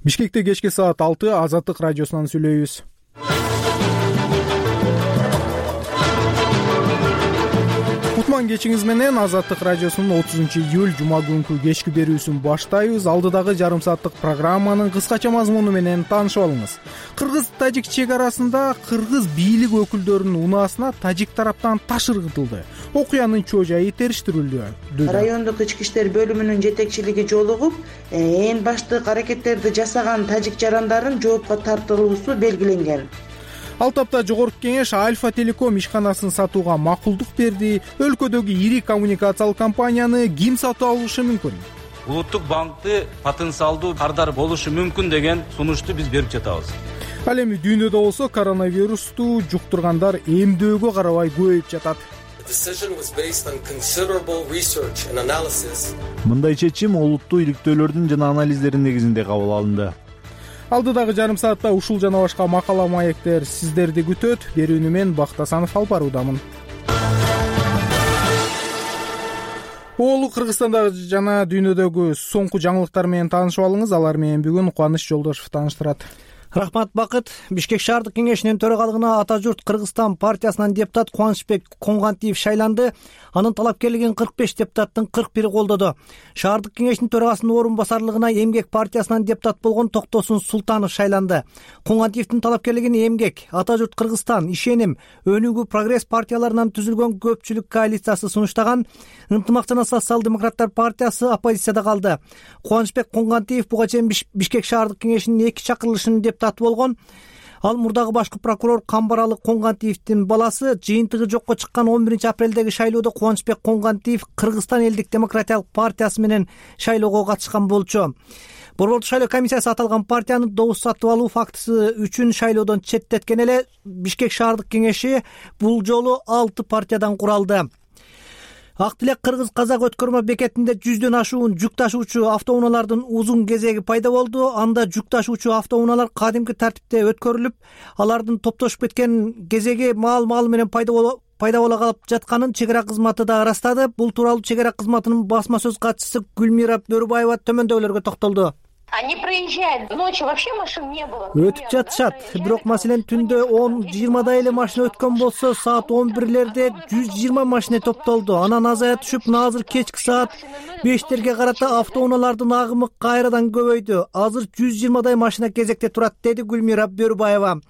Бишкекте кечки саат 6 Азаттык радиосунан сүйлөйбүз. Кутман кечиңиз менен Азаттык радиосунун 30-июль жума күнкү кечки берүүсүн баштайбыз. Алдыдагы жарым сааттык программанын кыскача мазмуну менен таанышып алыңыз. Кыргыз-тажик чек арасында кыргыз бийлик өкүлдөрүнүн унаасына тажик тараптан таш ыргытылды. Окуянын чоо жайы териштирилүүдө. Райондук ички иштер бөлүмүнүн жетекчилиги жолугуп, эң баштык аракеттерди жасаган тажик жарандарын жоопко тартылуусу белгиленген. Ал тапта Жогорку кеңеш Альфа Телеком ишканасын сатууга макулдук берди. Өлкөдөгү ири коммуникациялык компанияны ким сатып алышы мүмкүн? Улуттук банкты потенциалдуу кардар болушу мүмкүн деген сунушту биз берип жатабыз. Ал эми дүйнөдө болсо коронавирусту жуктургандар эмдөөгө карабай көбөйүп жатат. Мындай чечим олуттуу иликтөөлөрдүн жана анализдердин негизинде кабыл алынды. Алдыдагы жарым саатта ушул жана башка макала маектер сиздерди күтөт. Берүүнү мен Бактасанов алып баруудамын. Кыргызстандагы жана дүйнөдөгү соңку жаңылыктар менен таанышып алыңыз. Алар менен бүгүн Кубаныч Жолдошов тааныштырат. Рахмат, Бакыт. Бишкек шаардык кеңешинин төрагалыгына Ата журт Кыргызстан партиясынан депутат Кубанычбек Коңгантиев шайланды. Анын талапкерлигин 45 депутаттын 41-и колдоду. Шаардык кеңештин төрагасынын орун басарлыгына Эмгек партиясынан депутат болгон Токтосун Султанов шайланды. Коңгантиевдин талапкерлигин Эмгек, Ата журт Кыргызстан, Ишеним, Өнүгүү, Прогресс партияларынан түзүлгөн көпчүлүк коалициясы сунуштаган. Ынтымак жана социал-демократтар партиясы оппозицияда калды. Кубанычбек Коңгантиев буга чейин Бишкек шаардык кеңешинин 2 чакырылышынын депутаты болгон. Ал мурдагы башкы прокурор Камбаралы Коңгантиевдин баласы. Жыйынтыгы жокко чыккан 11-апрелдеги шайлоодо Кубанычбек Коңгантиев Кыргызстан элдик демократиялык партиясы менен шайлоого катышкан болчу. Борбордук шайлоо комиссиясы аталган партияны добуш сатып алуу фактысы үчүн шайлоодон четтеткен эле. Бишкек шаардык кеңеши бул жолу 6 партиядан куралды. Ак Тилек Кыргыз-Казак өткөрмө бекетинде 100дөн ашуун жүк ташуучу автоунаалардын узун кезеги пайда болду. Анда жүк ташуучу автоунаалар кадимки тартипте өткөрүлүп, алардын топтошуп кеткен кезеги маал менен пайда боло калып жатканын чек ара кызматы да ырастады. Бул тууралуу чек ара кызматынын басма сөз катчысы Гүлмира Бөрүбаева төмөндөгүлөргө токтолду. Они проезжают ночью, вообще машин не было. Өтүп жатышат. Бирок маселен түндө 10-20 эле машина өткөн болсо, саат 11лерде 120 машина топтолду. Анан азая түшүп, азыр кечки саат 5терге карата автоунаалардын агымы кайрадан көбөйдү. Азыр 120 машина кезекте турат, деди Гүлмира Бөрүбаева.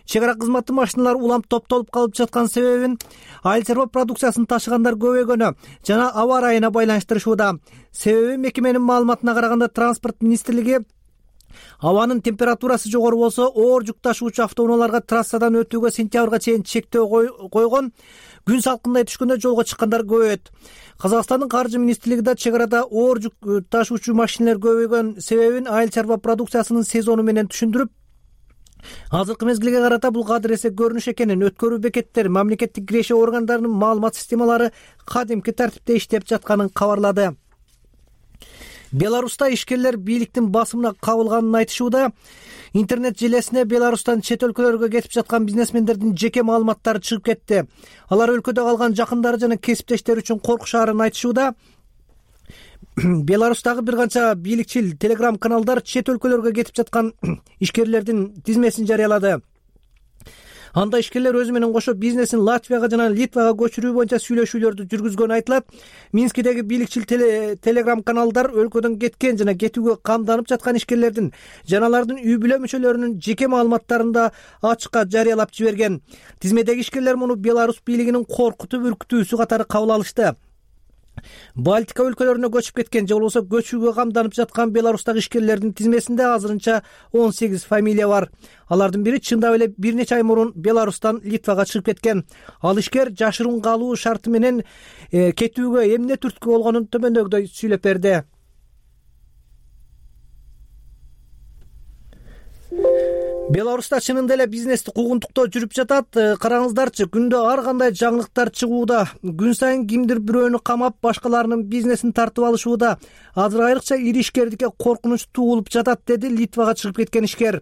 Чек ара кызматы машиналар улам топтолуп калып жаткан себебин айыл чарба продукциясын ташыгандар көбөйгөнү жана аба ырайына байланыштырышууда. Себеби мекеменин маалыматына караганда транспорт министрлиги абанын температурасы жогору болсо, оор жүк ташуучу автоунааларга трассадан өтүүгө сентябрга чейин чектөө койгон. Күн салкындай түшкөндө жолго чыккандар көбөйөт. Казакстандын каржы министрлиги да чек арада оор жүк ташуучу машиналар көбөйгөн себебин айыл чарба продукциясынын сезону менен түшүндүрүп, азыркы мезгилге карата бул кадыр эсе көрүнүш экенин, өткөрүү бекеттер, мамлекеттик киреши органдарынын маалымат системалары кадимки тартипте иштеп жатканын кабарлады. Беларуста ишкерлер бийликтин басымына кабылганын айтышууда. Интернет желесине Беларустан чет өлкөлөргө кетип жаткан бизнесмендердин жеке маалыматтары чыгып кетти. Алар өлкөдө калган жакындары жана кесиптештери үчүн коркушаарын айтышууда. Беларустагы бир канча бийликчил телеграм-каналдар чет өлкөлөргө кетип жаткан ишкерлердин тизмесин жарыялады. Анда ишкерлер өзү менен кошо бизнесин Латвияга жана Литвага көчүрүү боюнча сүйлөшүүлөрдү жүргүзгөнү айтылат. Минскидеги бийликчил телеграм-каналдар өлкөдөн кеткен жана кетүүгө камданып жаткан ишкерлердин жана алардын үй бүлө мүчөлөрүнүн жеке маалыматтарын да ачыкка жарыялап жиберген. Тизмедеги ишкерлер муну Беларус бийлигинин коркутуп үркүтүүсү катары кабыл алышты. Балтика өлкөлөрүнө көчүп кеткен же болбосо көчүүгө камданып жаткан Беларустагы ишкерлердин тизмесинде азырынча 18 фамилия бар. Алардын бири чындап эле бир нече ай мурун Беларустан Литвага чыгып кеткен. Ал ишкер жашыруун калуу шарты менен кетүүгө эмне түрткү болгонун төмөндөгүдөй сүйлөп берди. Беларуста чынында эле бизнести куугунтуктоо жүрүп жатат. Караңыздарчы, күндө ар кандай жаңылыктар чыгууда. Күн сайын кимдир бирөөнү камап, башкаларынын бизнесин тартып алышууда. Азыр айрыкча ири ишкердикке коркунуч туулуп жатат, деди Литвага чыгып кеткен ишкер.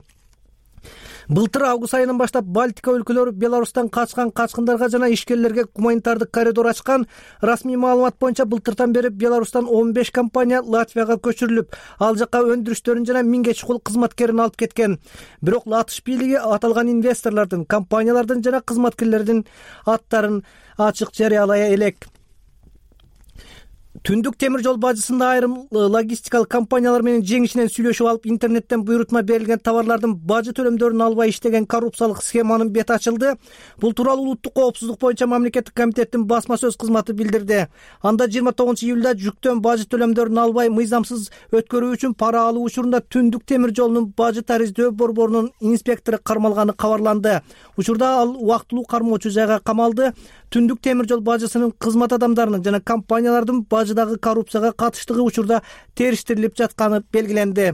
Былтыр август айынан баштап Балтика өлкөлөрү Беларустан качкан качкындарга жана ишкерлерге гуманитардык коридор ачкан. Расмий маалымат боюнча былтыртан бери Беларустан 15 компания Латвияга көчүрүлүп, ал жака өндүрүштөрүн жана 1000 чукул кызматкерин алып кеткен. Бирок Латыш бийлиги аталган инвесторлордун, компаниялардын жана кызматкерлердин аттарын ачык жарыялай элек. Түндүк темир жол бажысында айрым логистикалык компаниялар менен жеңишинен сүйлөшүп алып, интернеттен буйрутма берилген товарлардын бажы төлөмдөрүн албай иштеген коррупциялык схеманын бети ачылды. Бул тууралуу улуттук коопсуздук боюнча мамлекеттик комитеттин басма сөз кызматы билдирди. Анда 29-июлда жүктөн бажы төлөмдөрүн албай мыйзамсыз өткөрүү үчүн пара алуу учурунда Түндүк темир жолунун бажы тариздөө борборунун инспектору кармалганы кабарланды. Учурда ал убактылуу кармоочу жайга камалды. Түндүк темир жол бажысынын кызмат адамдарынын жана компаниялардын бажыдагы коррупцияга катыштыгы учурда териштирилип жатканы белгиленди.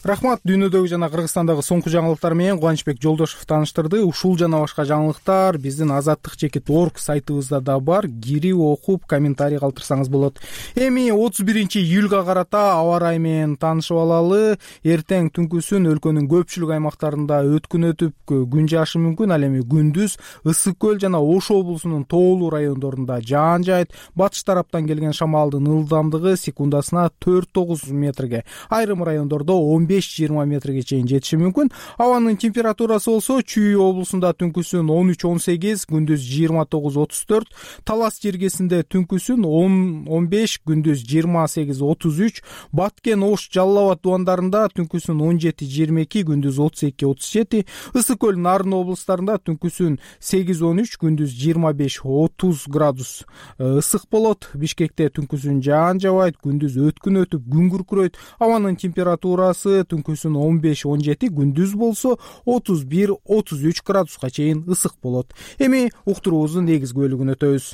Рахмат. Дүйнөдөгү жана Кыргызстандагы соңку жаңылыктар менен Кубанычбек Жолдошев тааныштырды. Ушул жана башка жаңылыктар биздин azattik.org сайтыбызда да бар. Кирип окуп, комментарий калтырсаңыз болот. Эми 31-июлга карата аба ырайы менен таанышып алалы. Эртең түнкүсүн өлкөнүн көпчүлүк аймактарында өткүн өтүп, күн жаашы мүмкүн. Ал эми күндүз Ысык көл жана Ош облусунун тоолуу райондорунда жаан жаайт. Батыш тараптан келген шамалдын ылдамдыгы секундасына 4-9 метрге, айрым райондордо 15-20 метрге чейин жетиши мүмкүн. Абанын температурасы болсо Чүй облусунда түнкүсүн 13-18, күндүз 29-34, Талас жергесинде түнкүсүн 10-15, күндүз 28-33, Баткен, Ош, Жалал Абад дубандарында түнкүсүн 17-22, күндүз 32-37, Ысык көл, Нарын облустарында түнкүсүн 8-13, күндүз 25-30 градус ысык болот. Бишкекте түнкүсүн жаан жабайт, күндүз өткүн өтүп, күн күркүрөйт. Абанын температурасы түнкүсүн 15-17, күндүз болсо 31-33 градуска чейин ысык болот. Эми уктуруубуздун негизги бөлүгүнө өтөбүз.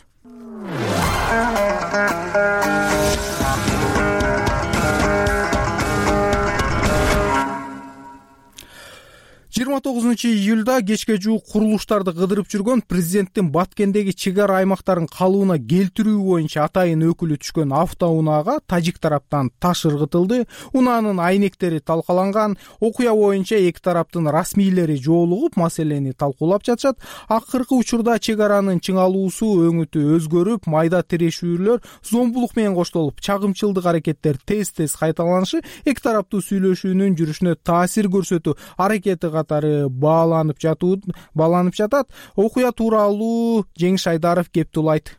29-июлда кечке жуук курулуштарды кыдырып жүргөн президенттин Баткендеги чек ара аймактарын калыбына келтирүү боюнча атайын өкүлү түшкөн автоунаага тажик тараптан таш ыргытылды. Унаанын айнектери талкаланган. Окуя боюнча эки тараптын расмийлери жоолугуп, маселени талкуулап жатышат. Акыркы учурда чек аранын чыңалуусу өңүтү өзгөрүп, майда тирешүүлөр зомбулук менен коштолуп, чагымчылдык аракеттер тез кайталанышы эки тараптуу сүйлөшүүнүн жүрүшүнө таасир көрсөтүү аракети катары бааланып жатат. Окуя тууралуу Жеңиш Айдаров кепти улайт.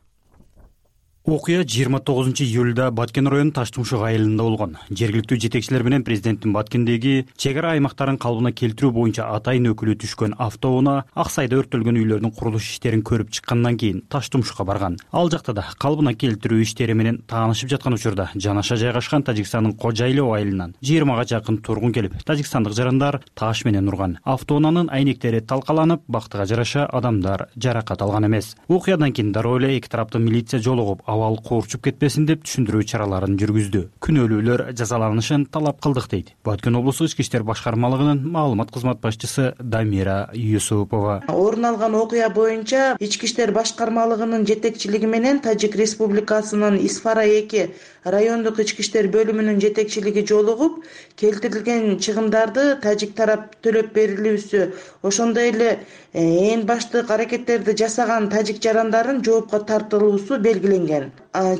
Окуя 29-июлда Баткен районунун Таштумшук айылында болгон. Жергиликтүү жетекчилер менен президенттин Баткендеги чек ара аймактарын калыбына келтирүү боюнча атайын өкүлү түшкөн автоунаа Ак Сайда өрттөлгөн үйлөрдүн курулуш иштерин көрүп чыккандан кийин Таштумшукка барган. Ал жакта да калыбына келтирүү иштери менен таанышып жаткан учурда жанаша жайгашкан Тажикстандын Кожайлоо айылынан 20га жакын тургун келип, тажикстандык жарандар таш менен урган. Автоунаанын айнектери талкаланып, бактыга жараша адамдар жаракат алган эмес. Окуядан кийин дароо эле эки тараптын милиция жолугуп, абал коорчуп кетпесин деп түшүндүрүү чараларын жүргүздү. Күнөөлүүлөр жазаланышын талап кылдык дейт Баткен облустук ички иштер башкармалыгынын маалымат кызмат башчысы Дамира Юсупова. Орун алган окуя боюнча ички иштер башкармалыгынын жетекчилиги менен Тажик Республикасынын Исфара 2 райондук ички иштер бөлүмүнүн жетекчилиги жолугуп, келтирилген чыгымдарды тажик тарап төлөп берилүүсү, ошондой эле эң баштык аракеттерди жасаган тажик жарандарын жоопко тартылуусу белгиленген.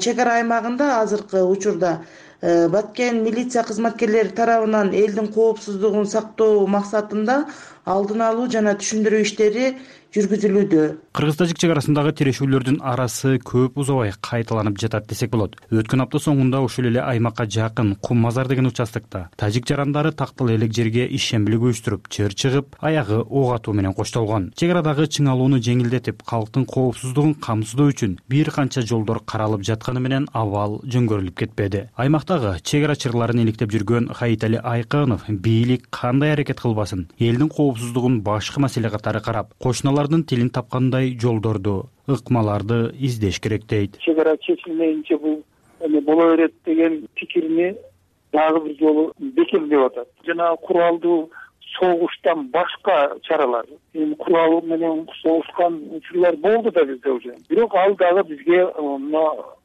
Чек ара аймагында азыркы учурда Баткен милиция кызматкерлери тарабынан элдин коопсуздугун сактоо максатында алдын алуу жана түшүндүрүү иштери жүргүзүлүүдө. Кыргыз-тажик чек арасындагы тирешүүлөрдүн арасы көп узабай кайталанып жатат десек болот. Өткөн апта соңунда ушул эле аймакка жакын Кум Мазар деген участокто тажик жарандары тактал элек жерге ишембилик уюштуруп, чыр чыгып, аягы ок атуу менен коштолгон. Чек арадагы чыңалууну жеңилдетип, калктын коопсуздугун камсыздоо үчүн бир канча жолдор каралып жатканы менен абал жөнгөрүлүп кетпеди. Аймактагы чек ара чырларын иликтеп жүргөн Хаитали Айкынов бийлик кандай аракет кылбасын, элдин коопсуздугун башкы маселе катары карап, кошуналардын тилин тапкандай жолдорду, ыкмаларды издеш керек дейт. Чек ара чечилмейинче бул боло берет деген пикирини дагы бир жолу бекемдеп атат. Жана куралдуу согуштан башка чаралар, курал менен согушкан учурлар болду да бизде уже. Бирок ал дагы бизге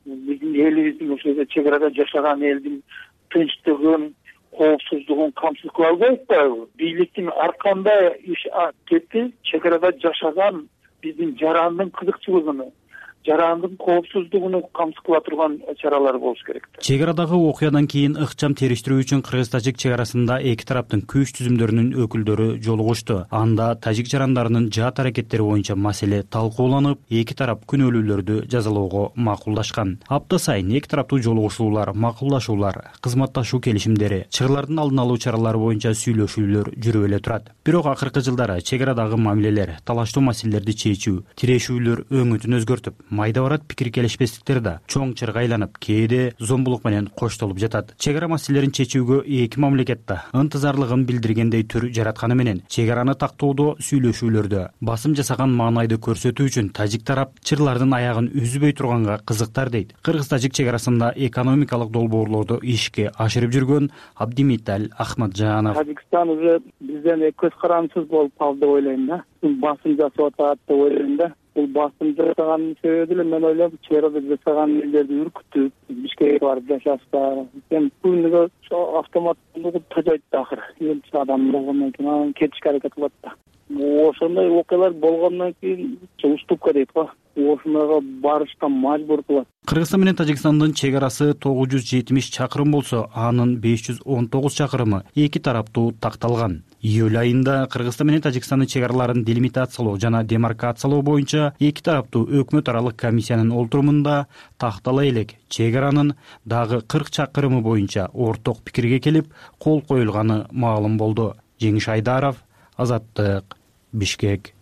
биздин элибиздин ошол чек арада жашаган элдин тынчтыгын, коопсуздугун камсыз кыла албайбы атпайбы? Бийликтин арканда иш кетти, чек арада жашаган биздин жарандын кызыкчылыгын, жарандын коопсуздугуну камсыз кыла турган чаралар болуш керек. Чек арадагы окуядан кийин ыкчам териштирүү үчүн кыргыз-тажик чек арасында эки тараптын күч түзүмдөрүнүн өкүлдөрү жолугушту. Анда тажик жарандарынын жаат аракеттери боюнча маселе талкууланып, эки тарап күнөөлүүлөрдү жазалоого макулдашкан. Апта сайын эки тараптуу жолугушуулар, макулдашуулар, кызматташуу келишимдери, чыгырлардын алдын алуу чаралары боюнча сүйлөшүүлөр жүрүп эле турат. Бирок акыркы жылдары чек арадагы мамилелер, талаштуу маселелерди чечүү, тирешүүлөр өңүтүн өзгөртүп, майда барат пикир келишпестиктер да чоң чырга айланып, кээде зомбулук менен коштолуп жатат. Чек ара маселелерин чечүүгө эки мамлекет да ынтызарлыгын билдиргендей түр жаратканы менен чек араны тактоодо сүйлөшүүлөрдө басым жасаган маанайды көрсөтүү үчүн тажик тарап чырлардын аягын үзбөй турганга кызыктар дейт. Кыргыз-тажик чек арасында экономикалык долбоорлорду ишке ашырып жүргөн Абдимиталь Ахмаджанов. Тажикстан уже бизден көз карандысыз болуп калды деп ойлойм да. Басым жасап атат деп ойлойм да. Бул басым жасаганын себеби деле мен ойлойм, чек арада жасаган элдерди үркүтүп, Бишкекке барып жашашса, күнүгө автоматтуулугу тажайт да акыры. Элчи адам болгондон кийин анан кетишке аракет кылат да. Ошондой окуялар болгондон кийин уступка дейт го. Ошондойго барышка мажбур кылат. Кыргызстан менен Тажикстандын чек арасы 970 чакырым болсо, анын 519 чакырымы эки тараптуу такталган. Июль айында Кыргызстан менен Тажикстандын чек араларын делимитациялоо жана демаркациялоо боюнча эки тараптуу өкмөт аралык комиссиянын олтурумунда тактала элек чек аранын дагы 40 чакырымы боюнча орток пикирге келип, кол коюлганы маалым болду. Жеңиш Айдаров, Азаттык, Бишкек.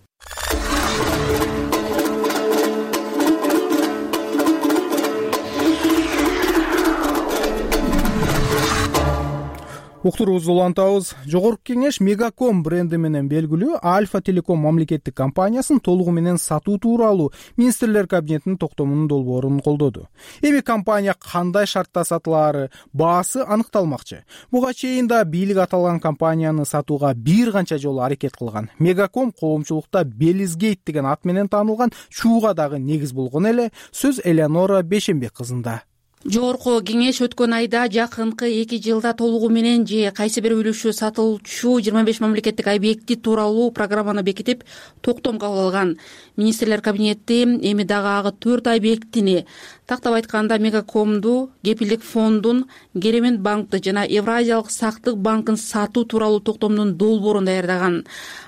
Уктуруубузду улантабыз. Жогорку кеңеш Мегаком бренди менен белгилүү Альфа Телеком мамлекеттик компаниясын толугу менен сатуу тууралуу министрлер кабинетинин токтомунун долбоорун колдоду. Эми компания кандай шартта сатылаары, баасы аныкталмакчы. Буга чейин да бийлик аталган компанияны сатууга бир канча жолу аракет кылган. Мегаком коомчулукта Белизгейт деген ат менен таанылган чууга дагы негиз болгон эле. Сөз Элеонора Бешенбек кызында. Жогорку кеңеш өткөн айда жакынкы 2 жылда толугу менен же кайсы бир үлүшү сатылчу 25 мамлекеттик объекти тууралуу программаны бекитип, токтом кабыл алган. Министрлер кабинети эми дагы 4 объектини, тактап айтканда Мегакомду, Кепилдик фондун, Керемет банкты жана Евразиялык сактык банкын сатуу тууралуу токтомдун долбоорун даярдаган.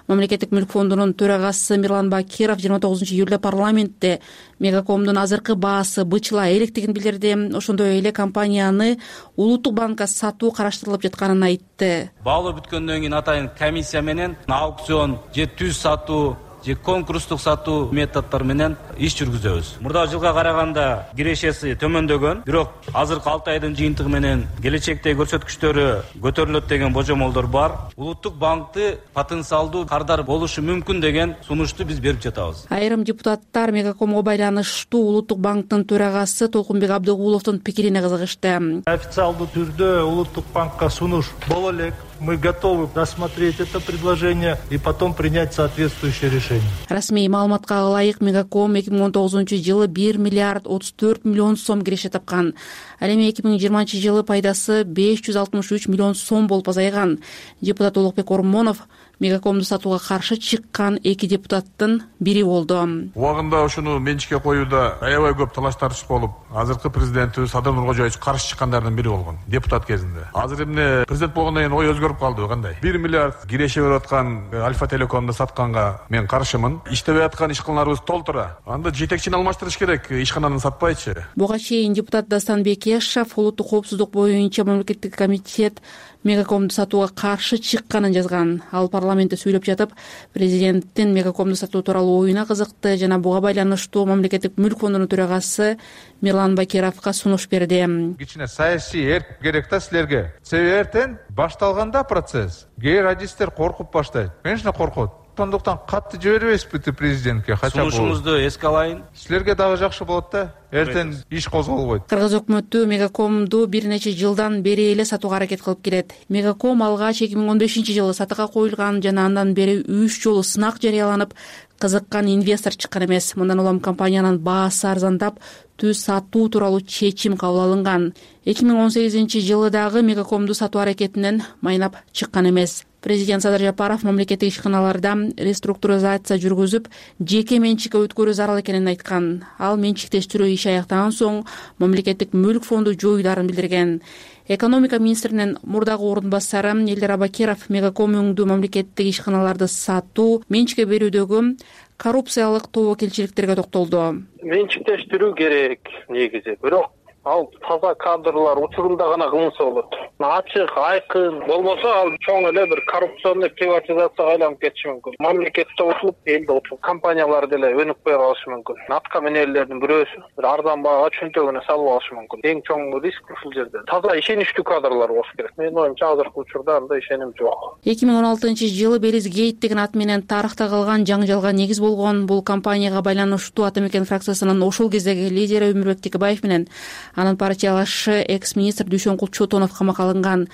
Мамлекеттик мүлк фондунун төрагасы Мирлан Бакиров 29-июлда парламентте Мегакомдун азыркы баасы бычыла электигин билдирди. Ошондой эле компанияны улуттук банкка сатуу караштырылып жатканын айтты. Баалоо бүткөндөн кийин атайын комиссия менен аукцион же түз сатуу же конкурстук сатуу методдор менен иш жүргүзөбүз. Мурда жылга караганда кирешеси төмөндөгөн, бирок азыркы 6 айдын жыйынтыгы менен келечектеги көрсөткүчтөрү көтөрүлөт деген божомолдор бар. Улуттук банкты потенциалдуу кардар болушу мүмкүн деген сунушту биз берип жатабыз. Айрым депутаттар Мегакомго байланыштуу улуттук банктын төрагасы Толкунбек Абдыгуловдун пикирине кызыгышты. Официалдуу түрдө улуттук банкка сунуш боло элек. Мы готовы рассмотреть это предложение и потом принять соответствующее решение. Расмий маалыматка ылайык Мегаком 2019-жылы 1 миллиард 34 миллион сом киреше тапкан. Ал эми 2020-жылы пайдасы 563 миллион сом болуп азайган. Депутат Улукбек Ормонов Мегакомду сатууга каршы чыккан эки депутаттын бири болду. Убагында ушуну менчикке коюуда аябай көп талаш тартыш болуп, азыркы президентибиз Садыр Нуркожоевич каршы чыккандардын бири болгон депутат кезинде. Азыр эмне президент болгондон кийин ой өзгөрүп калды кандай? 1 миллиард киреше берип аткан Альфа Телекомду сатканга мен каршымын. Иштебей аткан ишканаларыбыз толтура. Анда жетекчини алмаштырыш керек, ишкананы сатпайчы. Буга чейин депутат Дастан Бекешев улуттук коопсуздук боюнча мамлекеттик комитет Мегакомду сатууга каршы чыкканын жазган. Ал парламентте сүйлөп жатып, президенттин Мегакомду сатуу тууралуу оюна кызыкты жана буга байланыштуу мамлекеттик мүлк фондунун төрагасы Мирлан Бакировго сунуш берди. Кичине саясий эрк керек да силерге. Себеби эртең башталганда процесс, кээ радисттер коркуп баштайт. Конечно, коркот. Сондуктан катты жибербейсизби президентке? Сунушуңузду эске алайын. Силерге дагы жакшы болот да. эртең иш козголбойт. Кыргыз өкмөтү Мегакомду бир нече жылдан бери эле сатууга аракет кылып келет. Мегаком алгач 2015-жылы сатыга коюлган жана андан бери 3 жолу сынак жарыяланып, кызыккан инвестор чыккан эмес. Мындан улам компаниянын баасы арзандап, түз сатуу тууралуу чечим кабыл алынган. 2018-жылы дагы Мегакомду сатуу аракетинен майнап чыккан эмес. Президент Садыр Жапаров мамлекеттик ишканаларда реструктуризация жүргүзүп, жеке менчикке өткөрүү зарыл экенин айткан. Ал менчиктештирүү иши аяктаган соң мамлекеттик мүлк фонду жоюларын билдирген. Экономика министринин мурдагы орун басары Элдер Абакиров Мегаком өңдүү мамлекеттик ишканаларды сатуу, менчикке берүүдөгү коррупциялык тобокелчиликтерге токтолду. Менчиктештирүү керек негизи, бирок ал таза кадрлар учурунда гана кылынса болот. Ачык, айкын болбосо ал чоң эле бир коррупционный приватизацияга айланып кетиши мүмкүн. Мамлекетте утулуп, элде утулуп, компаниялар деле өнүкпөй калышы мүмкүн. Атка менелердин бирөөсү бир арзан баага чөнтөгүнө салып алышы мүмкүн. Эң чоң риск ушул жерде. Таза ишеничтүү кадрлар болуш керек. Менин оюмча азыркы учурда андай ишеним жок. 2016-жылы Белиз Гейт деген ат менен тарыхта калган жаңжалга негиз болгон бул компанияга байланыштуу Ата Мекен фракциясынын ошол кездеги лидери Өмүрбек Текебаев менен анын партиялашы экс-министр Дүйшөнкул Чотонов камакка алынган.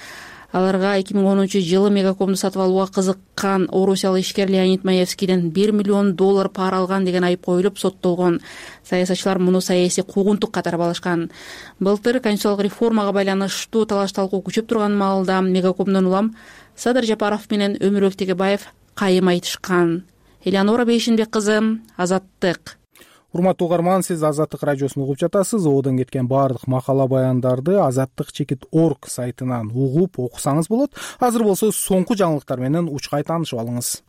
Аларга 2010-жылы Мегакомду сатып алууга кызыккан орусиялык ишкер Леонид Маевскийден $1 миллион пара алган деген айып коюлуп соттолгон. Саясатчылар муну саясий куугунтук катары балышкан. Былтыр конституциялык реформага байланыштуу талаш-талкуу күчөп турган маалда Мегакомдон улам Садыр Жапаров менен Өмүрбек Текебаев кайым айтышкан. Элеонора Бейшинбек кызы, Азаттык. Урматтуу угарман, сиз Азаттык радиосун угуп жатасыз. Одон кеткен баардык макала баяндарды azattik.org сайтынан угуп окусаңыз болот. Азыр болсо соңку жаңылыктар менен учкай таанышып алыңыз.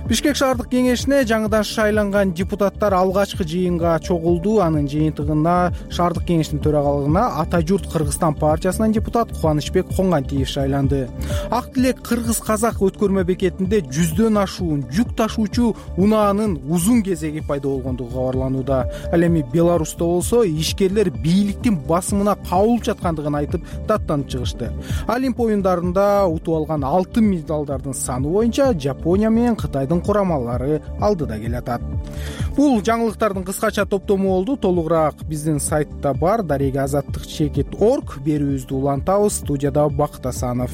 Бишкек шаардык кеңешине жаңыдан шайланган депутаттар алгачкы жыйынга чогулду. Анын жыйынтыгына шаардык кеңештин төрагалыгына Ата журт Кыргызстан партиясынан депутат Кубанычбек Коңгантиев шайланды. Ак Тилек кыргыз-казак өткөрмө бекетинде 100дөн ашуун жүк ташуучу унаанын узун кезеги пайда болгондугу кабарланууда. Ал эми Беларуста болсо ишкерлер бийликтин басымына кабылып жаткандыгын айтып даттанып чыгышты. Олимп оюндарында утуп алган алтын медалдардын саны боюнча Жапония менен Кытайдын курамалары алдыда келатат. Бул жаңылыктардын кыскача топтому болду. Толугураак биздин сайтта бар. azattik.org берүүбүздү улантабыз. Студияда Бакыт Асанов.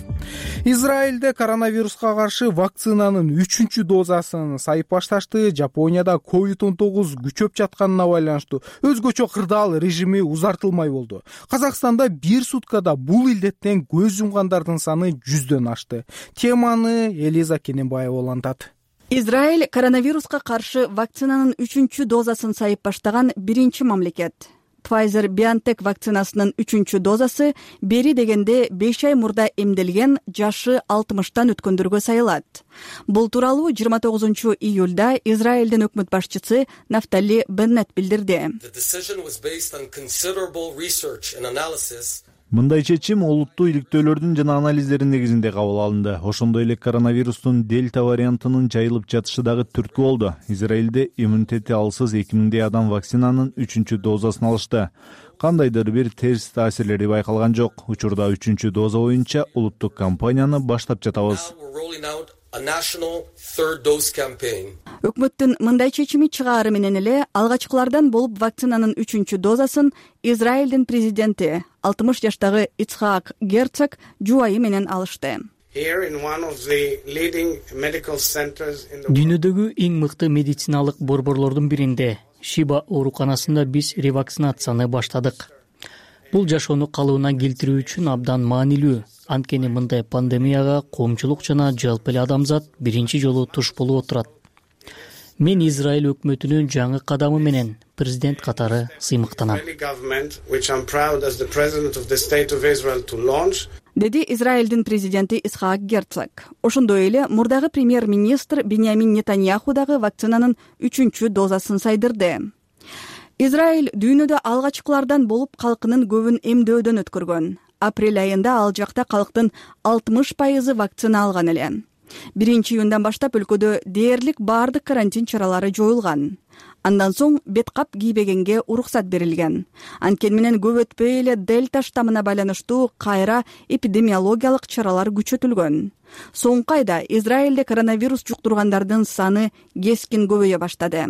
Израилде коронавируска каршы вакцинанын 3-чү дозасын сайып башташты. Жапонияда COVID-19 күчөп жатканына байланыштуу өзгөчө кырдаал режими узартылмай болду. Казакстанда бир суткада бул илдеттен көз жумгандардын саны 100дөн ашты. Теманы Элиза Кененбаева улантат. Израиль коронавируска каршы вакцинанын 3-чү дозасын сайып баштаган биринчи мамлекет. Pfizer-BioNTech вакцинасынын 3-чү дозасы бери дегенде 5 ай мурда эмделген жашы 60тан өткөндөргө сайылат. Бул тууралуу 29-июлда Израилдин өкмөт башчысы Нафтали Беннет билдирди. Мындай чечим олуттуу иликтөөлөрдүн жана анализдердин негизинде кабыл алынды. Ошондой эле коронавирустун дельта вариантынын жайылып жатышы дагы түрткү болду. Израилде иммунитети алсыз 2000 адам вакцинанын 3-чү дозасын алышты. Кандайдыр бир терс таасирлери байкалган жок. Учурда 3-чү доза боюнча улуттук кампанияны баштап жатабыз. Өкмөттүн мындай чечими чыгаары менен эле алгачкылардан болуп вакцинанын 3-чү дозасын Израилдин президенти 60 жаштагы Ицхак Герцог жубайы менен алышты. Дүйнөдөгү эң мыкты медициналык борборлордун биринде, Шиба ооруканасында биз ревакцинацияны баштадык. Бул жашоону калыбына келтирүү үчүн абдан маанилүү. Анткени мындай пандемияга коомчулук жана жалпы эле адамзат биринчи жолу туш болуп отурат. Мен Израиль өкмөтүнүн жаңы кадамы менен президент катары сыймыктанам. Деди Израилдин президенти Ицхак Герцог. Ошондой эле мурдагы премьер-министр Биньямин Нетаньяху дагы вакцинанын 3-чү дозасын сайдырды. Израиль дүйнөдө алгачкылардан болуп калкынын көбүн эмдөөдөн өткөргөн. Апрель айында ал жакта калктын 60% вакцина алган эле. 1-июндан баштап өлкөдө дээрлик баардык карантин чаралары жоюлган. Андан соң бет кап кийбегенге уруксат берилген. Анткени менен көп өтпөй эле дельта штаммына байланыштуу кайра эпидемиологиялык чаралар күчөтүлгөн. Соңку айда Израилде коронавирус жуктургандардын саны кескин көбөйө баштады.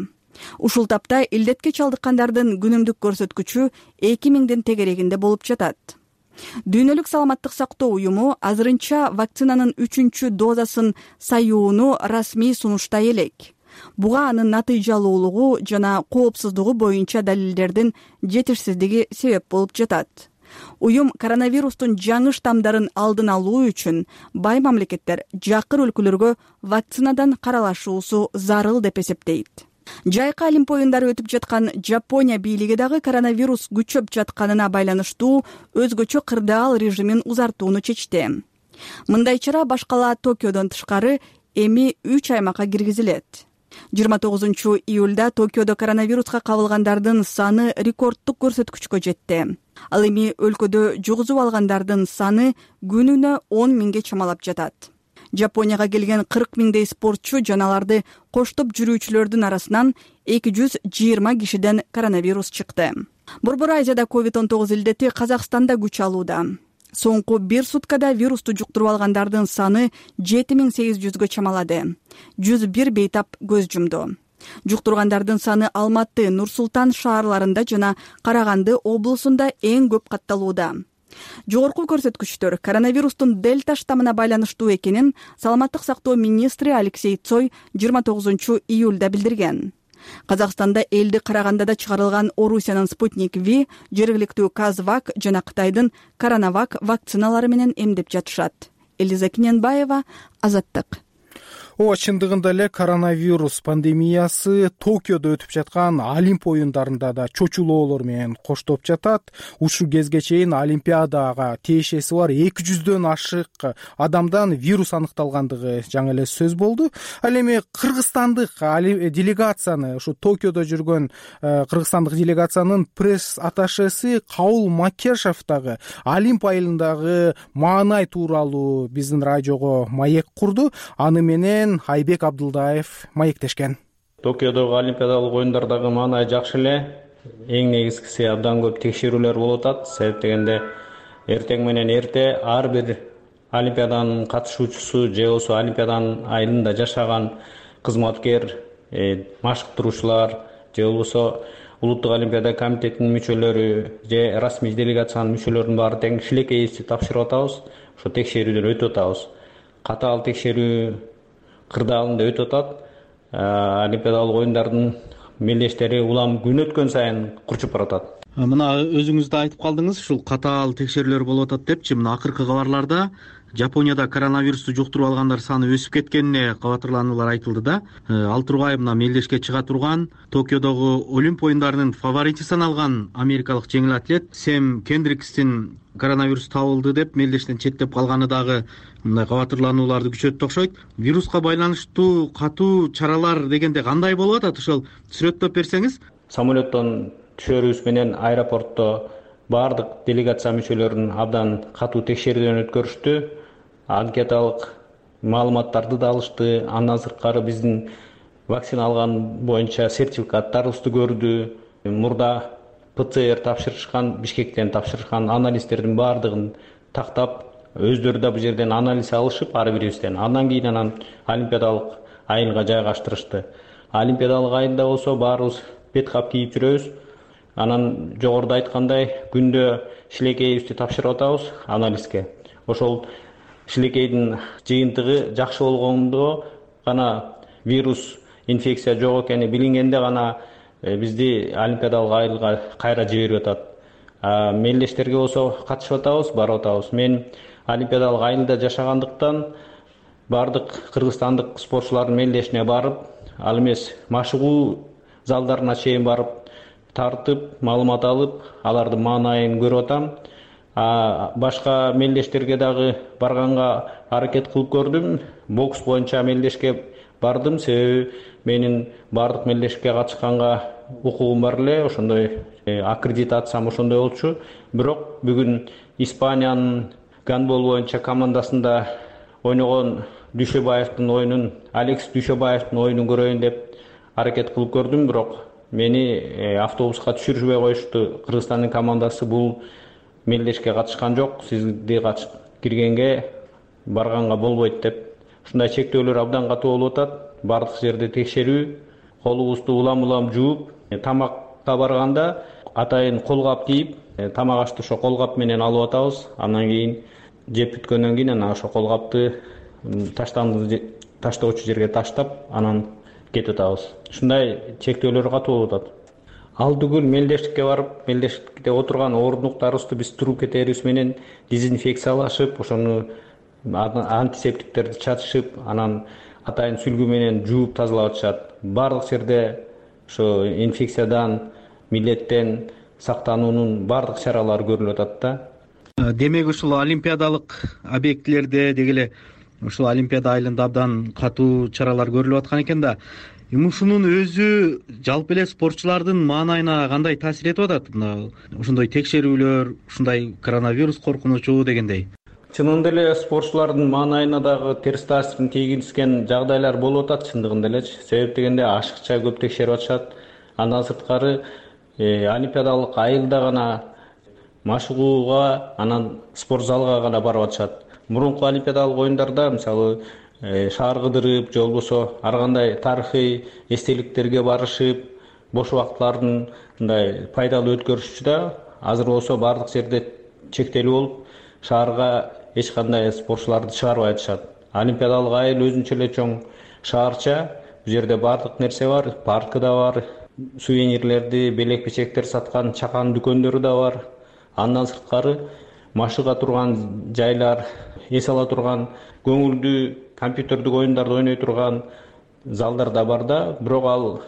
Ушул тапта илдетке чалдыккандардын күнүмдүк көрсөткүчү 2000дин тегерегинде болуп жатат. Дүйнөлүк саламаттык сактоо уюму азырынча вакцинанын 3-чү дозасын саюуну расмий сунуштай элек. Буга анын натыйжалуулугу жана коопсуздугу боюнча далилдердин жетишсиздиги себеп болуп жатат. Уюм коронавирустун жаңы штамдарын алдын алуу үчүн бай мамлекеттер жакыр өлкөлөргө вакцинадан каралашуусу зарыл деп эсептейт. Жайкы Олимп оюндары өтүп жаткан Жапония бийлиги дагы коронавирус күчөп жатканына байланыштуу өзгөчө кырдаал режимин узартууну чечти. Мындай чара башкала Токиодон тышкары эми 3 аймакка киргизилет. 29-июлда Токиодо коронавируска кабылгандардын саны рекорддук көрсөткүчкө жетти. Ал эми өлкөдө жугузуп алгандардын саны күнүнө 10 миңге чамалап жатат. Жапонияга келген 40 миңдей спортчу жана аларды коштоп жүрүүчүлөрдүн арасынан 220 кишиден коронавирус чыкты. Борбор Азияда COVID-19 илдети Казакстанда күч алууда. Соңку 1 суткада вирусту жуктуруп алгандардын саны 7800гө чамалады. 101 бейтап көз жумду. Жуктургандардын саны Алматы, Нур-Султан шаарларында жана Караганды облусунда эң көп катталууда. Жогорку көрсөткүчтөр коронавирустун дельта штаммына байланыштуу экенин саламаттык сактоо министри Алексей Цой 29-июлда билдирген. Казакстанда элди Карагандада чыгарылган Орусиянын Спутник V, жергиликтүү Казвак жана Кытайдын Коронавак вакциналары менен эмдеп жатышат. Элиза Киненбаева, Азаттык. Ооба, чындыгында эле коронавирус пандемиясы Токиодо өтүп жаткан Олимп оюндарында да чочулоолор менен коштоп жатат. Ушул кезге чейин Олимпиадага тиешеси бар 200дөн ашык адамдан вирус аныкталгандыгы жаңы эле сөз болду. Ал эми кыргызстандык делегацияны, ушу Токиодо жүргөн кыргызстандык делегациянын пресс атташеси Кабыл Макешев дагы Олимп айылындагы маанай тууралуу биздин радиого маек курду. Аны менен Айбек Абдылдаев маектешкен. Токиодогу Олимпиадалык оюндардагы маанай жакшы эле. Эң негизгиси абдан көп текшерүүлөр болуп атат. Себеп дегенде эртең менен эрте ар бир Олимпиаданын катышуучусу же болбосо Олимпиаданын айылында жашаган кызматкер, машыктыруучулар же болбосо улуттук Олимпиада комитетинин мүчөлөрү же расмий делегациянын мүчөлөрүнүн баары тең шилекейибизди тапшырып атабыз. Ошо текшерүүдөн өтүп атабыз. Катаал текшерүү кырдаалында өтүп атат. Олимпиадалык оюндардын мелдештери улам күн өткөн сайын курчуп баратат. Мына өзүңүз да айтып калдыңыз, ушул катаал текшерүүлөр болуп атат депчи. Мына акыркы кабарларда Жапонияда коронавирусту жуктуруп алгандар саны өсүп кеткенине кабатырлануулар айтылды да. Ал тургай мына мелдешке чыга турган Токиодогу Олимп оюндарынын фаворити саналган америкалык жеңил атлет Сэм Кендрикстин коронавирус табылды деп мелдештен четтеп калганы дагы мындай кабатырланууларды күчөттү окшойт. Вируска байланыштуу катуу чаралар дегенде кандай болуп атат? Ошол сүрөттөп берсеңиз. Самолеттон түшөрүбүз менен аэропортто баардык делегация мүчөлөрүн абдан катуу текшерүүдөн өткөрүштү. Анкеталык маалыматтарды да алышты. Андан сырткары биздин вакцина алган боюнча сертификаттарыбызды көрдү. Мурда ПЦР тапшырышкан, Бишкектен тапшырышкан анализдердин баардыгын тактап, өздөрү да бул жерден анализ алышып ар бирибизден. Андан кийин Олимпиадалык айылга жайгаштырышты. Олимпиадалык айылда болсо баарыбыз бет кап кийип жүрөбүз. Анан жогоруда айткандай күндө шилекейибизди тапшырып атабыз анализге. Ошол шилекейдин жыйынтыгы жакшы болгондо гана вирус инфекция жок экени билингенде гана бизди Олимпиадалык айылга кайра жиберип атат. Мелдештерге болсо катышып атабыз, барып атабыз. Мен Олимпиадалык айылда жашагандыктан баардык кыргызстандык спортчулардын мелдешине барып, ал эмес машыгуу залдарына чейин барып тартып, маалымат алып, алардын маанайын көрүп атам. Башка мелдештерге дагы барганга аракет кылып көрдүм. Бокс боюнча мелдешке бардым, себеби менин баардык мелдешке катышканга укугум бар эле, ошондой аккредитациям ошондой болчу. Бирок бүгүн Испаниянын гандбол боюнча командасында ойногон Дүйшөбаевдин оюнун, Алекс Дүйшөбаевдин оюнун көрөйүн деп аракет кылып көрдүм, бирок мени автобуска түшүрүшпөй коюшту. Кыргызстандын командасы бул мелдешке катышкан жок, сизди киргенге барганга болбойт деп. Ушундай чектөөлөр абдан катуу болуп атат. Бардык жерде текшерүү, колубузду улам жууп, тамакка барганда атайын колгап кийип, тамак ашты ошо колгап менен алып атабыз. Андан кийин жеп бүткөндөн кийин анан ошо колгапты таштоочу жерге таштап, анан кетип атабыз. Ушундай чектөөлөр катуу болуп атат. Алдыгүл мелдештикке барып, мелдештикте отурган орундуктарыбызды биз туруп кетерибиз менен дезинфекциялашып, ошону антисептиктерди чачышып, анан атайын сүлгү менен жууп тазалап атышат. Бардык жерде ошо инфекциядан, милдеттен сактануунун бардык чаралары көрүлүп атат да. Демек ушул олимпиадалык объектилерде деги эле ушул олимпиада айылында абдан катуу чаралар көрүлүп аткан экен да. Ушунун өзү жалпы эле спортчулардын маанайына кандай таасир этип атат? Мына ошондой текшерүүлөр, ушундай коронавирус коркунучу дегендей. Чынында эле спортчулардын маанайына дагы терс таасирин тийгизген жагдайлар болуп атат чындыгында элечи. Себеп дегенде ашыкча көп текшерип атышат. Андан сырткары олимпиадалык айылда гана машыгууга, анан спорт залга гана барып атышат. Мурунку олимпиадалык оюндарда мисалы шаар кыдырып, же болбосо ар кандай тарыхый эстеликтерге барышып, бош убакытларын мындай пайдалуу өткөрүшчү да. Азыр болсо бардык жерде чектелүү болуп, шаарга эч кандай спортчуларды чыгарбай атышат. Олимпиадалык айыл өзүнчө эле чоң шаарча. Бул жерде бардык нерсе бар, паркы да бар, сувенирлерди, белек-печектер саткан чакан дүкөндөрү да бар. Андан сырткары машыга турган жайлар, эс ала турган көңүлдүү компьютердик оюндарды ойной турган залдар да бар да. Бирок ал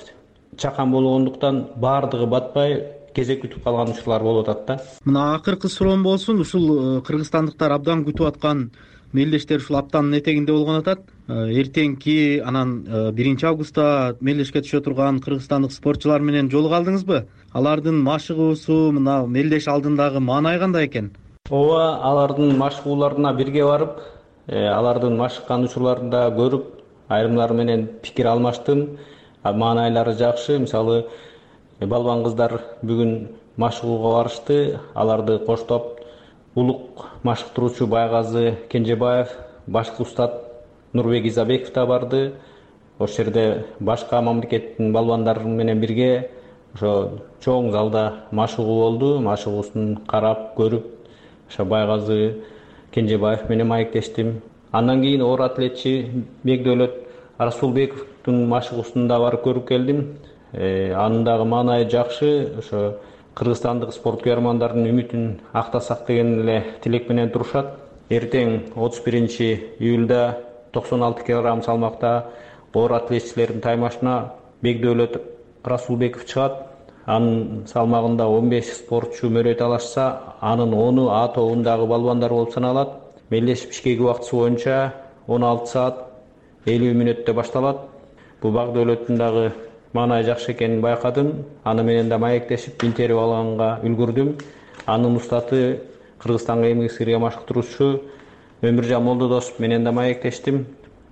чакан болгондуктан бардыгы батпай кезек күтүп калган учурлар болуп атат да. Мына акыркы суроом болсун, ушул кыргызстандыктар абдан күтүп аткан мелдештер ушул аптанын этегинде болгон атат. Эртеңки анан 1 августта мелдешке түшө турган кыргызстандык спортчулар менен жолуга алдыңызбы? Алардын машыгуусу, мына мелдеш алдындагы маанай кандай экен? Ооба, алардын машыгууларына бирге барып, алардын машыккан учурларын да көрүп, айрымдары менен пикир алмаштым. Маанайлары жакшы. Мисалы, балбан кыздар бүгүн машыгууга барышты. Аларды коштоп улук машыктыруучу Байгазы Кенжебаев, башкы устат Нурбек Изабеков да барды. Ошол жерде башка мамлекеттин балбандары менен бирге ошо чоң залда машыгуу болду. Машыгуусун карап, көрүп, ошо Байгазы Кенжебаев менен маектештим. Андан кийин оор атлетчи Бекдөөлөт Расулбековдун машыгуусун да барып көрүп келдим. Анын дагы маанайы жакшы. Ошо кыргызстандык спорт күйөрмандардын үмүтүн актасак деген эле тилек менен турушат. Эртең 31 июлда 96 кг салмакта оор атлетчилердин таймашына Бекдөөлөт Расулбеков чыгат. Анын салмагында 15 спортчу мөрөй талашса, анын 10-у А тобундагы балбандар болуп саналат. Мелдеш Бишкек убактысы боюнча 16 саат 50 мүнөттө башталат. Бул Бекдөөлөттүн дагы маанайы жакшы экенин байкадым. Аны менен да маектешип интервью алганга үлгүрдүм. Анын устаты Кыргызстанга эмгек сиңирген машыктыруучу Өмүржан Молдодосов менен да маектештим.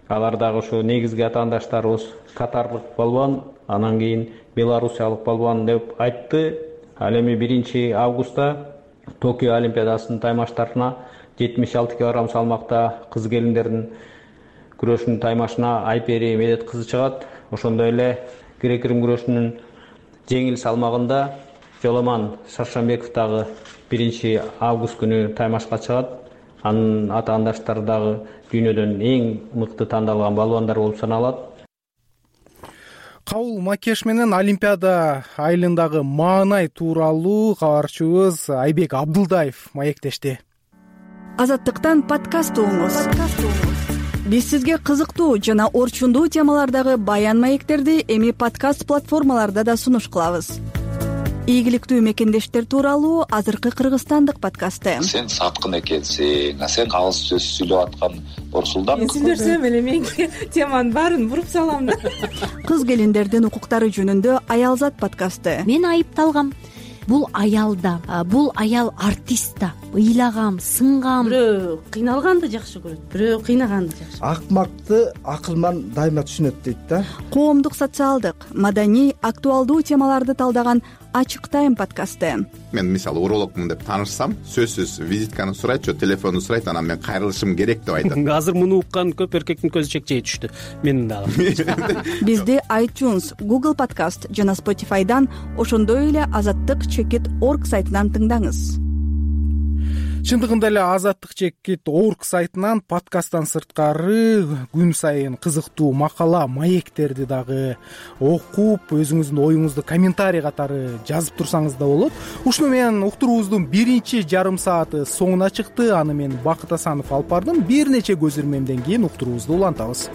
Алар дагы ошо негизги атаандаштарыбыз катарлык балбан, анан кийин белорусиялык балбан деп айтты. Ал эми 1 августта Токио олимпиадасынын таймаштарына 76 кг салмакта кыз келиндердин күрөшүнүн таймашына Айпери Медет кызы чыгат. Ошондой эле грек-рим күрөшүнүн жеңил салмагында Жоломан Шаршамбеков дагы 1 август күнү таймашка чыгат. Анын атаандаштары дагы дүйнөдөн эң мыкты тандалган балбандар болуп саналат. Кабыл Макеш менен Олимпиада айылындагы маанай тууралуу кабарчыбыз Айбек Абдылдаев маектешти. Азаттыктан подкаст угуңуз. Биз сизге кызыктуу жана орчундуу темалардагы баян маектерди эми подкаст платформаларда да сунуш кылабыз. Ийгиликтүү мекендештер тууралуу азыркы кыргызстандык подкасты. Сен саткын экенсиң, сен кагыс сөз сүйлөп аткан Орсулдан. Мен сүйлөсөм эле мен теманын баарын буруп салам да. Кыз келиндердин укуктары жөнүндө Аялзат подкасты. Мен айыпталгам. Бул аял да, бул аял артист да. Ыйлагам, сынгам. Бирөө кыйналганды жакшы көрөт, бирөө кыйнаганды жакшы. Акмакты акылман дайыма түшүнөт дейт да. Коомдук, социалдык, маданий, актуалдуу темаларды талдаган Ачык тайм подкасты. Мен мисалы урологмун деп таанышсам, сөзсүз визитканы сурайт же телефонду сурайт, анан мен кайрылышым керек деп айтат. Азыр муну уккан көп эркектин көзү чекчейе түштү. Менин дагы. Бизди iTunes, Google Podcast жана Spotify'дан, ошондой эле azattik.org сайтынан тыңдаңыз. Чындыгында эле azattik.org сайтынан подкасттан сырткары күн сайын кызыктуу макала, маектерди дагы окуп, өзүңүздүн оюңузду комментарий катары жазып турсаңыз да болот. Ушуну менен уктуруубуздун биринчи жарым сааты соңуна чыкты. Аны мен Бакыт Асанов алып бардым. Бир нече көзүрмемден кийин уктуруубузду улантабыз.